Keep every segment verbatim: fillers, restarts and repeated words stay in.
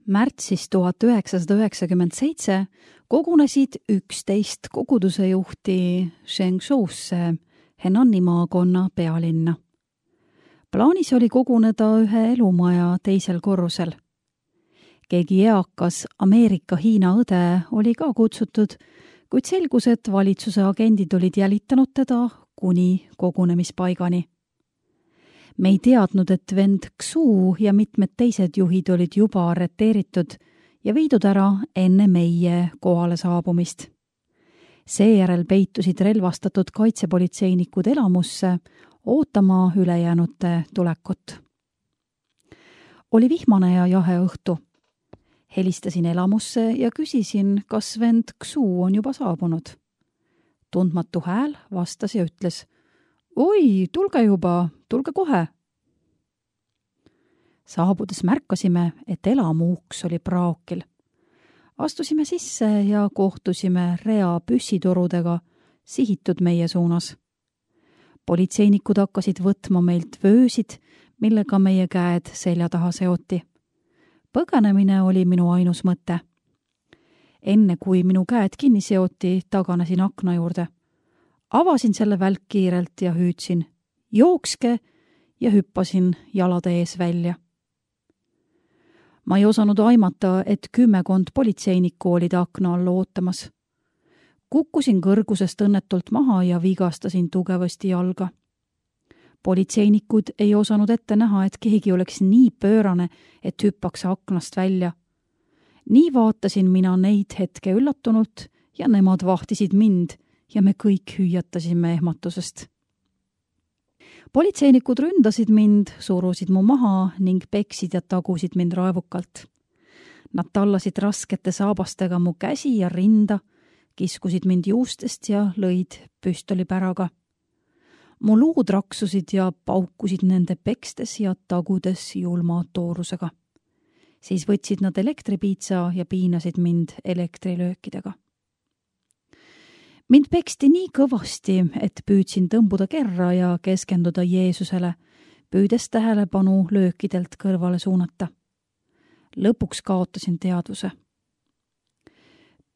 Märtsis tuhat üheksasada üheksakümmend seitse kogunesid üksteist koguduse juhti Zhengzhousse, Henani maakonna pealinna. Plaanis oli koguneda ühe elumaja teisel korrusel. Keegi eakas Ameerika-Hiina õde oli ka kutsutud, kuid selgus, et valitsuse agendid olid jälitanud teda kuni kogunemispaigani. Me ei teadnud, et vend Xu ja mitmed teised juhid olid juba arreteeritud ja viidud ära enne meie kohale saabumist. Seejärel peitusid relvastatud kaitsepolitseinikud elamusse ootama ülejäänute tulekut. Oli vihmane ja jahe õhtu. Helistasin elamusse ja küsisin, kas vend Xu on juba saabunud. Tundmatu hääl vastas ja ütles: "Oi, tulge juba, tulge kohe." Saabudes märkasime, et elamu uks oli praokil. Astusime sisse ja kohtusime rea püssitorudega sihitud meie suunas. Politseinikud hakkasid võtma meilt vöösid, millega meie käed selja taha seoti. Põgenemine oli minu ainus mõte. Enne kui minu käed kinni seoti, taganesin akna juurde. Avasin selle välk kiirelt ja hüüdsin: "Jookske!" ja hüppasin jalade ees välja. Ma ei osanud aimata, et kümmekond politseinikku olid akna all ootamas. Kukkusin kõrgusest õnnetult maha ja vigastasin tugevasti jalga. Politseinikud ei osanud ette näha, et keegi oleks nii pöörane, et hüppaks aknast välja. Nii vaatasin mina neid hetke üllatunult ja nemad vahtisid mind ja me kõik hüüatasime ehmatusest. Politseinikud ründasid mind, surusid mu maha ning peksid ja tagusid mind raevukalt. Nad tallasid raskete saabastega mu käsi ja rinda, kiskusid mind juustest ja lõid püstolipäraga. Mu luud raksusid ja paukusid nende pekstes ja tagudes julma toorusega. Siis võtsid nad elektripiitsa ja piinasid mind elektrilöökidega. Mind peksti nii kõvasti, et püüdsin tõmbuda kerra ja keskenduda Jeesusele, püüdes tähelepanu löökidelt kõrvale suunata. Lõpuks kaotasin teadvuse.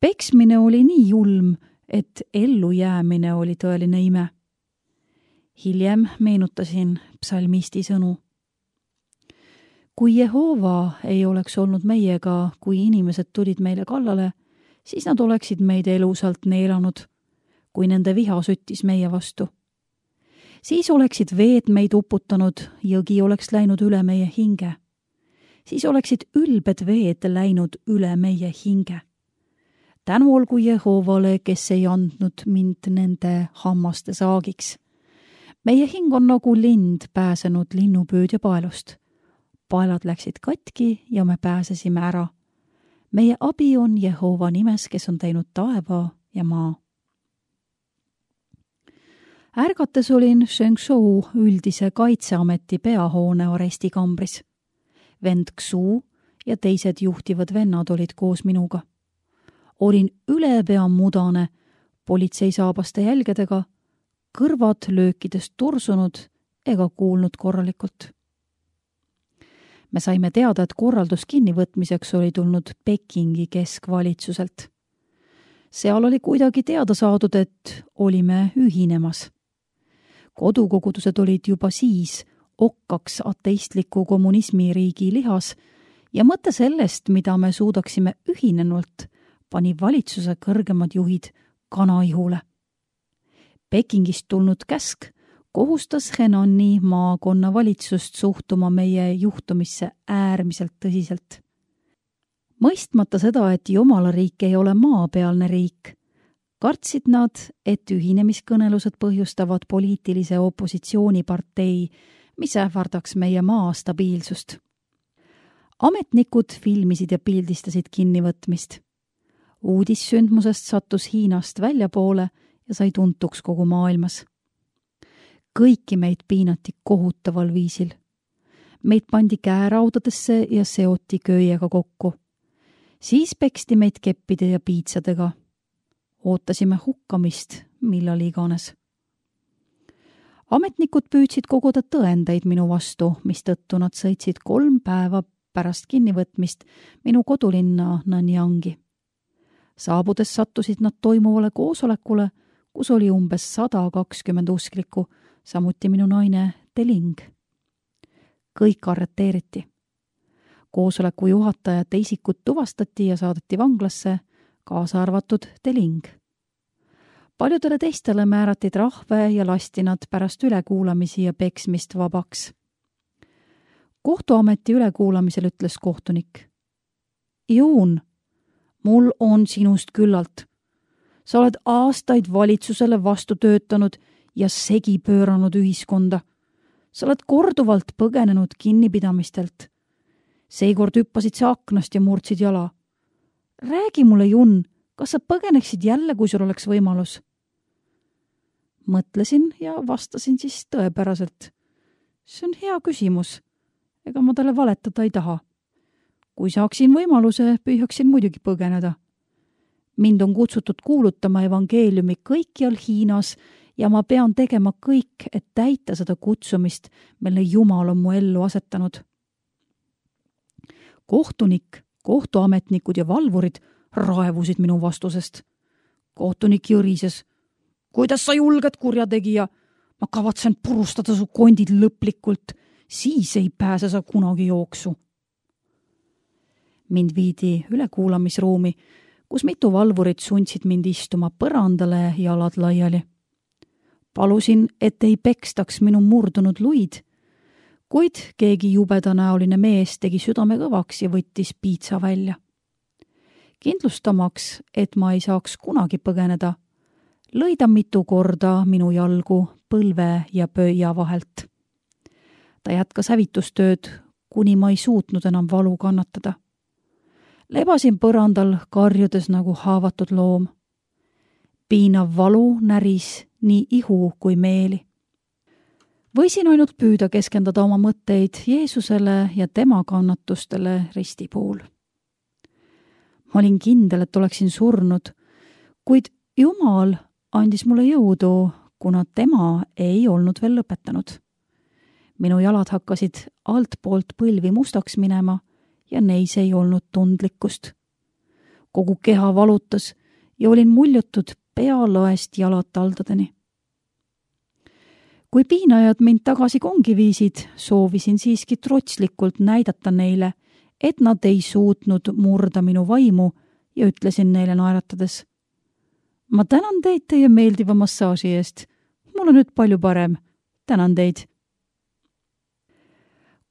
Peksmine oli nii julm, et ellu jäämine oli tõeline ime. Hiljem meenutasin psalmisti sõnu. Kui Jehova ei oleks olnud meiega, kui inimesed tulid meile kallale, siis nad oleksid meid elusalt neelanud, kui nende viha süttis meie vastu. Siis oleksid veed meid uputanud, jõgi oleks läinud üle meie hinge. Siis oleksid ülbed veed läinud üle meie hinge. Tänu olgu Jehovale, kes ei andnud mind nende hammaste saagiks. Meie hing on nagu lind pääsenud linnupüüdja paelust. Paelad läksid katki ja me pääsesime ära. Meie abi on Jehova nimes, kes on teinud taeva ja maa. Ärgates olin Zhengzhou üldise kaitseameti peahoone arestikambris. Vend Xu ja teised juhtivad vennad olid koos minuga. Olin ülepea mudane, politseisaabaste jälgedega, kõrvad löökidest tursunud ega kuulnud korralikult. Me saime teada, et korraldus kinnivõtmiseks oli tulnud Pekingi keskvalitsuselt. Seal oli kuidagi teada saadud, et olime ühinemas. Kodukogudused olid juba siis okkaks ateistliku kommunismiriigi lihas ja mõte sellest, mida me suudaksime ühinenult, pani valitsuse kõrgemad juhid kanaihule. Pekingist tulnud käsk kohustas Henani maakonna valitsust suhtuma meie juhtumisse äärmiselt tõsiselt. Mõistmata seda, et jumalariik ei ole maapealne riik, kartsid nad, et ühinemiskõnelused põhjustavad poliitilise opositsioonipartei, mis ähvardaks meie maa stabiilsust. Ametnikud filmisid ja pildistasid kinnivõtmist. Uudis sündmusest sattus Hiinast väljapoole ja sai tuntuks kogu maailmas. Kõiki meid piinati kohutaval viisil. Meid pandi käeraudadesse ja seoti köiega kokku. Siis peksti meid keppide ja piitsadega. Ootasime hukkamist, millal iganes. Ametnikud püüdsid koguda tõendeid minu vastu, mistõttu nad sõitsid kolm päeva pärast kinnivõtmist minu kodulinna Nanyangi. Saabudes sattusid nad toimuvale koosolekule, kus oli umbes sada kakskümmend usklikku, samuti minu naine Teling. Kõik arreteeriti. Koosoleku juhatajate isikud tuvastati ja saadeti vanglasse, kaasa arvatud Teling. Paljudele teistele määrati trahve ja lasti nad pärast ülekuulamisi ja peksmist vabaks. Kohtuameti ülekuulamisel ütles kohtunik: Juun, mul on sinust küllalt. Sa oled aastaid valitsusele vastu töötanud ja segi pööranud ühiskonda. Sa oled korduvalt põgenenud kinnipidamistelt. Seekord hüppasid sa aknast ja murdsid jala. Räägi mulle, Jun, kas sa põgeneksid jälle, kui sul oleks võimalus? Mõtlesin ja vastasin siis tõepäraselt. See on hea küsimus. Ega ma talle valetada ei taha. Kui saaksin võimaluse, püüaksin muidugi põgeneda. Mind on kutsutud kuulutama evangeeliumi kõikjal Hiinas ja ma pean tegema kõik, et täita seda kutsumist, mille Jumal on mu ellu asetanud. Kohtunik, kohtuametnikud ja valvurid raevusid minu vastusest. Kohtunik jõrises. Kuidas sa julged, kurjategija? Ma kavatsen purustada su kondid lõplikult, siis ei pääse sa kunagi jooksu. Mind viidi ülekuulamisruumi, kus mitu valvurit sundsid mind istuma põrandale jalad laiali. Palusin, et ei pekstaks minu murdunud luid, kuid keegi jubedanäoline mees tegi südame kõvaks ja võttis piitsa välja. Kindlustamaks, et ma ei saaks kunagi põgeneda, lõi ta mitu korda minu jalgu põlve ja pöia vahelt. Ta jätkas hävitustööd, kuni ma ei suutnud enam valu kannatada. Lebasin põrandal karjudes nagu haavatud loom. Piinav valu näris nii ihu kui meeli. Võisin ainult püüda keskendada oma mõtteid Jeesusele ja tema kannatustele risti pool. Ma olin kindel, et oleksin surnud, kuid Jumal andis mulle jõudu, kuna tema ei olnud veel lõpetanud. Minu jalad hakkasid altpoolt põlvi mustaks minema ja neis ei olnud tundlikkust. Kogu keha valutas ja olin muljutud pealaest jalataldadeni. Kui piinajad mind tagasi kongi viisid, soovisin siiski trotslikult näidata neile, et nad ei suutnud murda minu vaimu ja ütlesin neile naeratades. Ma tänan teid teie meeldiva massaaži eest. Mul on nüüd palju parem. Tänan teid.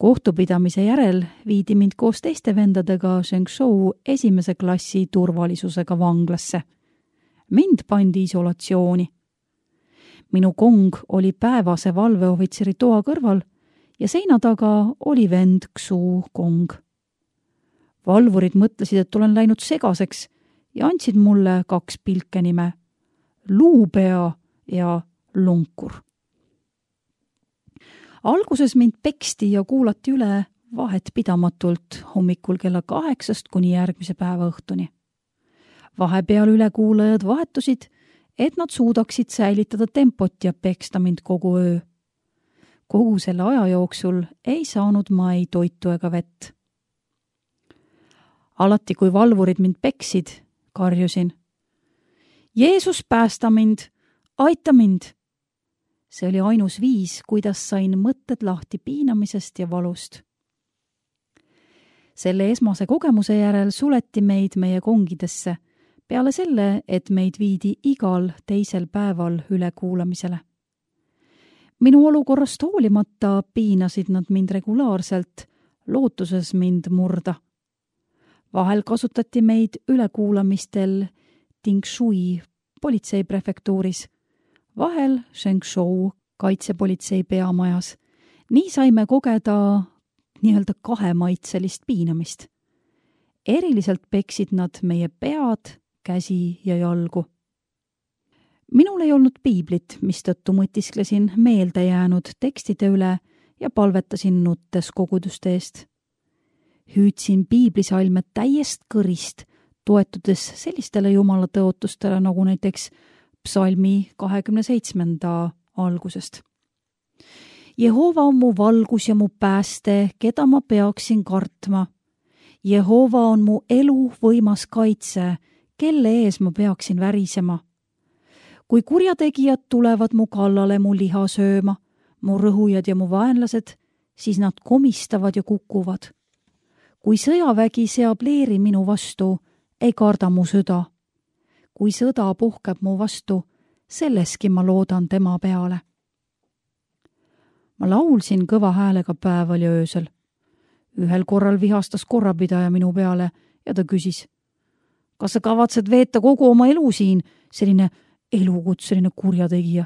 Kohtupidamise järel viidi mind koos teiste vendadega Shengzhou esimese klassi turvalisusega vanglasse. Mind pandi isolatsiooni. Minu kong oli päevase valveohvitseri toa kõrval ja seina taga oli vend Xu Kong. Valvurid mõtlesid, et olen läinud segaseks ja andsid mulle kaks pilkenime, Luupea ja Lunkur. Alguses mind peksti ja kuulati üle vahet pidamatult hommikul kella kaheksast kuni järgmise päeva õhtuni. Vahepeal ülekuulajad vahetusid, et nad suudaksid säilitada tempot ja peksta mind kogu öö. Kogu selle aja jooksul ei saanud ma ei toitu ega vett. Alati, kui valvurid mind peksid, karjusin. Jeesus, päästa mind! Aita mind! See oli ainus viis, kuidas sain mõtted lahti piinamisest ja valust. Selle esmase kogemuse järel suleti meid meie kongidesse, peale selle, et meid viidi igal teisel päeval ülekuulamisele. Minu olukorrast hoolimata piinasid nad mind regulaarselt, lootuses mind murda. Vahel kasutati meid ülekuulamistel Tingshui politseiprefektuuris, vahel Shengzhou kaitsepolitsei peamajas. Nii saime kogeda nii-öelda kahemaitselist piinamist. Eriliselt peksid nad meie pead, käsi ja jalgu. Minul ei olnud piiblit, mistõttu mõtisklesin meelde jäänud tekstide üle ja palvetasin nuttes koguduste eest. Hüüdsin piiblisalme täiest kõrist, toetudes sellistele jumala tõotustele nagu näiteks psalmi kahekümne seitsmenda algusest. Jehova on mu valgus ja mu pääste, keda ma peaksin kartma. Jehova on mu elu võimas kaitse, kelle ees ma peaksin värisema. Kui kurjategijad tulevad mu kallale mu liha sööma, mu rõhujad ja mu vaenlased, siis nad komistavad ja kukuvad. Kui sõjavägi seab leeri minu vastu, ei karda mu süda. Kui sõda puhkeb mu vastu, selleski ma loodan tema peale. Ma laulsin kõva häälega päeval ja öösel. Ühel korral vihastas korrapidaja minu peale ja ta küsis, kas sa kavatsed veeta kogu oma elu siin, selline elukutseline kurjategija?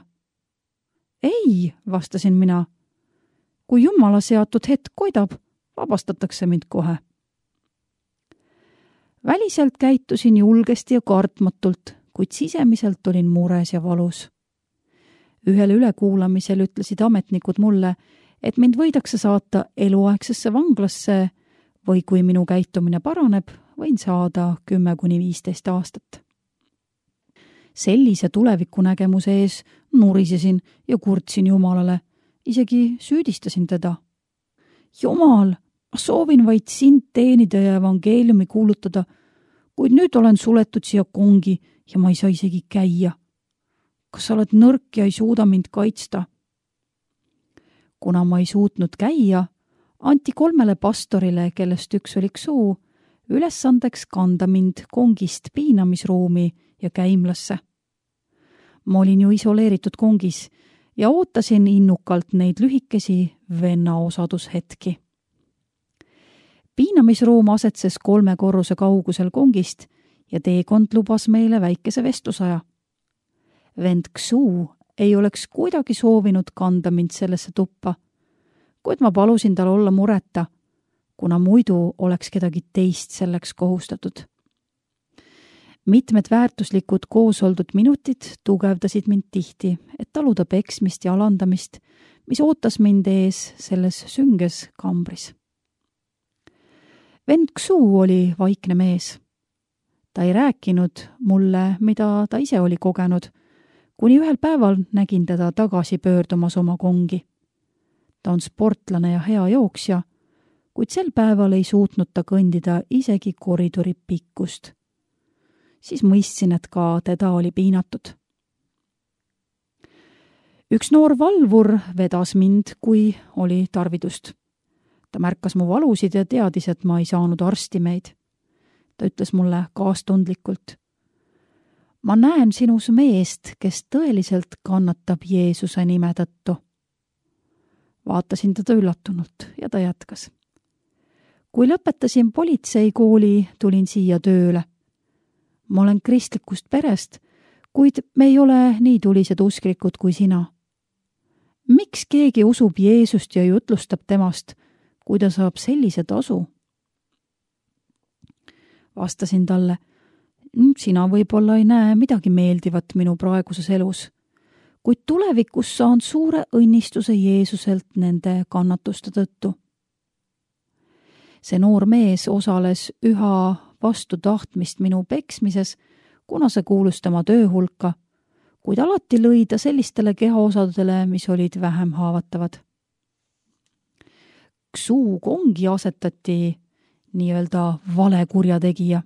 Ei, vastasin mina. Kui Jumala seatud hetk koidab, vabastatakse mind kohe. Väliselt käitusin julgesti ja kartmatult, kuid sisemiselt olin mures ja valus. Ühel ülekuulamisel ütlesid ametnikud mulle, et mind võidakse saata eluaegsesse vanglasse või kui minu käitumine paraneb, võin saada kümme kuni viisteist aastat. Sellise tulevikunägemuse ees nurisesin ja kurtsin Jumalale, isegi süüdistasin teda. Jumal, ma soovin vaid sind teenida ja evangeeliumi kuulutada, kuid nüüd olen suletud siia kongi ja ma ei saa isegi käia. Kas sa oled nõrk ja ei suuda mind kaitsta? Kuna ma ei suutnud käia, anti kolmele pastorile, kellest üks oli Ksuu, ülesandeks kanda mind kongist piinamisruumi ja käimlasse. Ma olin ju isoleeritud kongis ja ootasin innukalt neid lühikesi venna osadushetki. Piinamisruum asetses kolme korruse kaugusel kongist ja teekond lubas meile väikese vestlusaja. Vend Ksuu ei oleks kuidagi soovinud kanda mind sellesse tuppa, kuid ma palusin tal olla mureta, kuna muidu oleks kedagi teist selleks kohustatud. Mitmed väärtuslikud koos oldud minutid tugevdasid mind tihti, et taluda peksmist ja alandamist, mis ootas mind ees selles sünges kambris. Vend Ksuu oli vaikne mees. Ta ei rääkinud mulle, mida ta ise oli kogenud, kuni ühel päeval nägin teda tagasi pöördumas oma kongi. Ta on sportlane ja hea jooksja, kuid sel päeval ei suutnud ta kõndida isegi koridori pikkust. Siis mõistsin, et ka teda oli piinatud. Üks noor valvur vedas mind, kui oli tarvidust. Ta märkas mu valusid ja teadis, et ma ei saanud arstimeid. Ta ütles mulle kaastundlikult, ma näen sinus meest, kes tõeliselt kannatab Jeesuse nime tõttu. Vaatasin teda üllatunult ja ta jätkas. Kui lõpetasin politseikooli, tulin siia tööle. Ma olen kristlikust perest, kuid me ei ole nii tulised usklikud kui sina. Miks keegi usub Jeesust ja jutlustab temast, kui ta saab sellise tasu? Vastasin talle, sina võib-olla ei näe midagi meeldivat minu praeguses elus, kuid tulevikus saan suure õnnistuse Jeesuselt nende kannatuste tõttu. See noor mees osales üha vastu tahtmist minu peksmises, kuna see kuulus tema töö hulka, kuid alati lõi ta sellistele kehaosadele, mis olid vähem haavatavad. Ksuu kongi asetati nii-öelda vale kurjategija.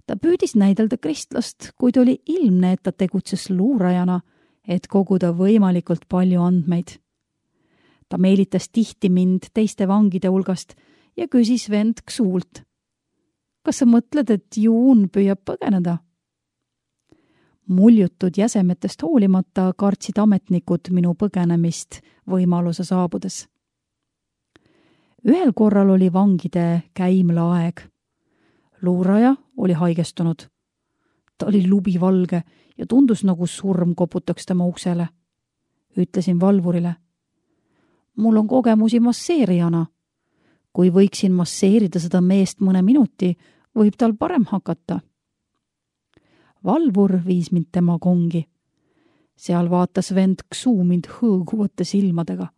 Ta püüdis näidelda kristlast, kuid oli ilmne, et ta tegutses luurajana, et koguda võimalikult palju andmeid. Ta meelitas tihti mind teiste vangide hulgast ja küsis vend Ksuult, kas sa mõtled, et Juun püüab põgeneda? Muljutud jäsemetest hoolimata kartsid ametnikud minu põgenemist võimaluse saabudes. Ühel korral oli vangide käimla aeg. Luuraja oli haigestunud. Ta oli lubivalge ja tundus nagu surm koputaks tema uksele. Ütlesin valvurile, mul on kogemusi masseerijana. Kui võiksin masseerida seda meest mõne minuti, võib tal parem hakata. Valvur viis mind tema kongi. Seal vaatas vend Ksuu mind hõõguvate silmadega.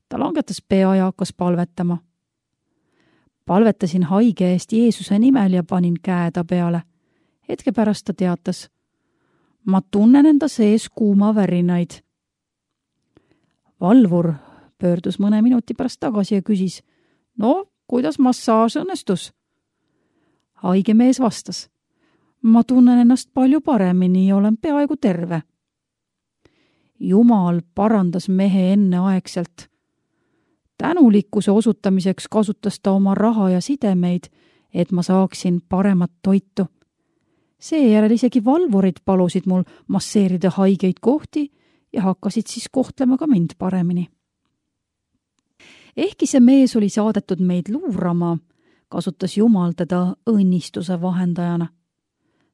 Ta langetas pea ja hakkas palvetama. Palvetasin haige eest Jeesuse nimel ja panin käe ta peale. Hetke pärast ta teatas, ma tunnen enda sees kuuma värinaid. valvur pöördus mõne minuti pärast tagasi ja küsis, no, kuidas massaaž õnnestus? Haige mees vastas, ma tunnen ennast palju paremini ja olen peaaegu terve. Jumal parandas mehe enneaegselt. Tänulikkuse osutamiseks kasutas ta oma raha ja sidemeid, et ma saaksin paremat toitu. Seejärel isegi valvurid palusid mul masseerida haigeid kohti ja hakkasid siis kohtlema ka mind paremini. Ehkki see mees oli saadetud meid luurama, kasutas Jumal teda õnnistuse vahendajana.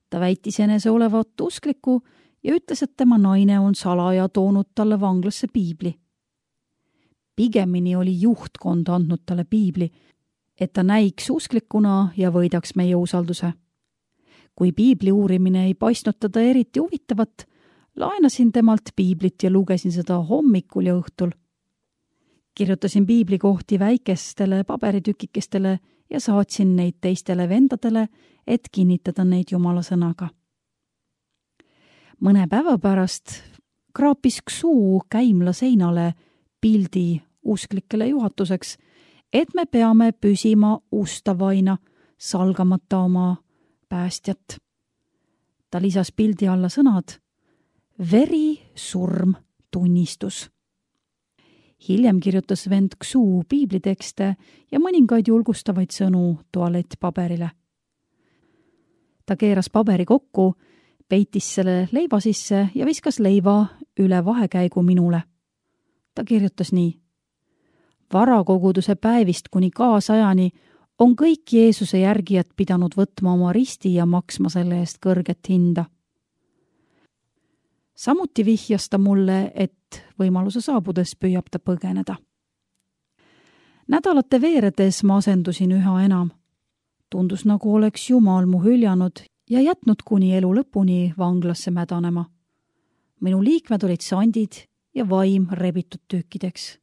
Ta väitis enese olevat uskliku ja ütles, et tema naine on salaja toonud talle vanglasse piibli. Pigemini oli juhtkond andnud talle piibli, et ta näiks usklikuna ja võidaks meie usalduse. Kui piibli uurimine ei paistnud teda eriti huvitavat, laenasin temalt piiblit ja lugesin seda hommikul ja õhtul. Kirjutasin piibli kohti väikestele paberitükikestele ja saatsin neid teistele vendadele, et kinnitada neid Jumala sõnaga. Mõne päeva pärast kraapis Ksuu käimla seinale pildi usklikele juhatuseks, et me peame püsima ustavaina, salgamata oma päästjat. Ta lisas pildi alla sõnad veri, surm, tunnistus. Hiljem kirjutas vend Ksuu piiblitekste ja mõningaid julgustavaid sõnu tualettpaberile. Ta keeras paberi kokku, peitis selle leiva sisse ja viskas leiva üle vahekäigu minule. Ta kirjutas nii. Varakoguduse päevist kuni kaasajani on kõik Jeesuse järgijad pidanud võtma oma risti ja maksma selle eest kõrget hinda. Samuti vihjas ta mulle, et võimaluse saabudes püüab ta põgeneda. Nädalate veeredes ma asendusin üha enam. Tundus nagu oleks Jumal mu hüljanud ja jätnud kuni elu lõpuni vanglasse mädanema. Minu liikmed olid sandid ja vaim rebitud tükkideks.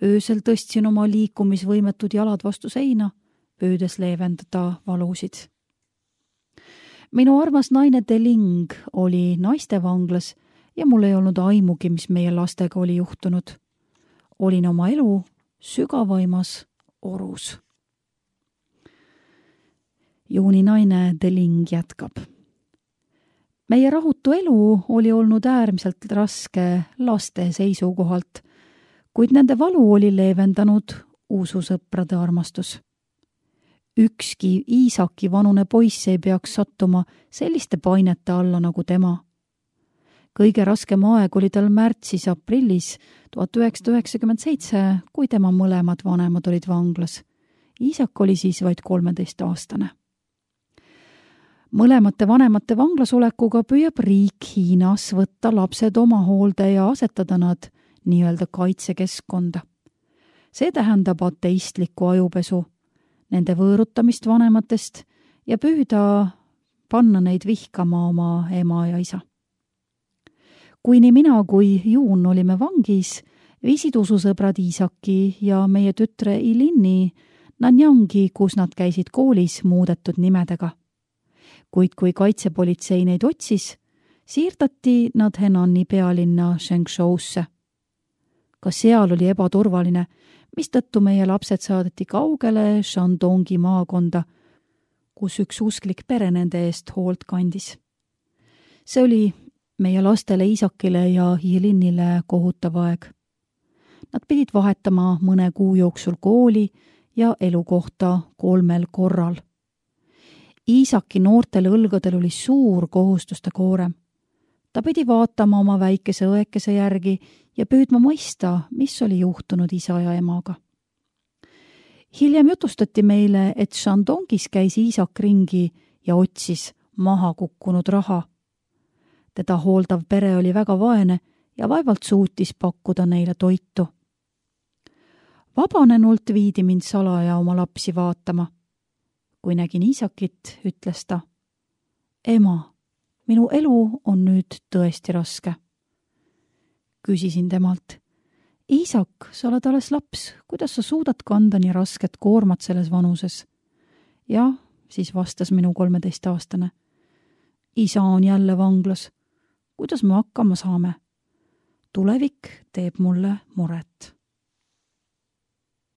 Öösel tõstsin oma liikumisvõimetud jalad vastu seina, püüdes leevendada valusid. Minu armas naine Deling oli naistevanglas ja mul ei olnud aimugi, mis meie lastega oli juhtunud. Olin oma elu sügavaimas orus. Juuni naine Deling jätkab. Meie rahutu elu oli olnud äärmiselt raske laste seisukohalt, kuid nende valu oli leevendanud ususõprade armastus. Ükski Iisaki vanune poiss ei peaks sattuma selliste painete alla nagu tema. Kõige raskem aeg oli tal märtsis-aprillis tuhat üheksasada üheksakümmend seitse, kui tema mõlemad vanemad olid vanglas. Iisak oli siis vaid kolmeteistaastane. Mõlemate vanemate vanglasolekuga püüab riik Hiinas võtta lapsed oma hoolde ja asetada nad nii-öelda kaitsekeskkonda. See tähendab ateistlikku ajupesu, nende võõrutamist vanematest ja püüda panna neid vihkama oma ema ja isa. Kui nii mina kui Juun olime vangis, viisid ususõbrad Iisaki ja meie tütre Ilinni Nanjangi, kus nad käisid koolis muudetud nimedega. Kuid kui kaitsepolitsei neid otsis, siirdati nad Henani pealinna Shengshousse. Ka seal oli ebaturvaline, mistõttu meie lapsed saadeti kaugele Shandongi maakonda, kus üks usklik pere nende eest hoolt kandis. See oli meie lastele Iisakile ja Jelinnile kohutav aeg. Nad pidid vahetama mõne kuu jooksul kooli ja elukohta kolmel korral. Iisaki noortel õlgadel oli suur kohustuste koorem. Ta pidi vaatama oma väikese õekese järgi ja püüdma mõista, mis oli juhtunud isa ja emaga. Hiljem jutustati meile, et Shandongis käis Iisak ringi ja otsis maha kukkunud raha. Teda hooldav pere oli väga vaene ja vaevalt suutis pakkuda neile toitu. Vabanenult viidi mind salaja oma lapsi vaatama. Kui nägin Iisakit, ütles ta, ema, minu elu on nüüd tõesti raske. Küsisin temalt, Iisak, sa oled alles laps, kuidas sa suudad kanda nii rasket koormat selles vanuses? Jah, siis vastas minu kolmeteistaastane. Isa on jälle vanglas. Kuidas me hakkama saame? tulevik teeb mulle muret.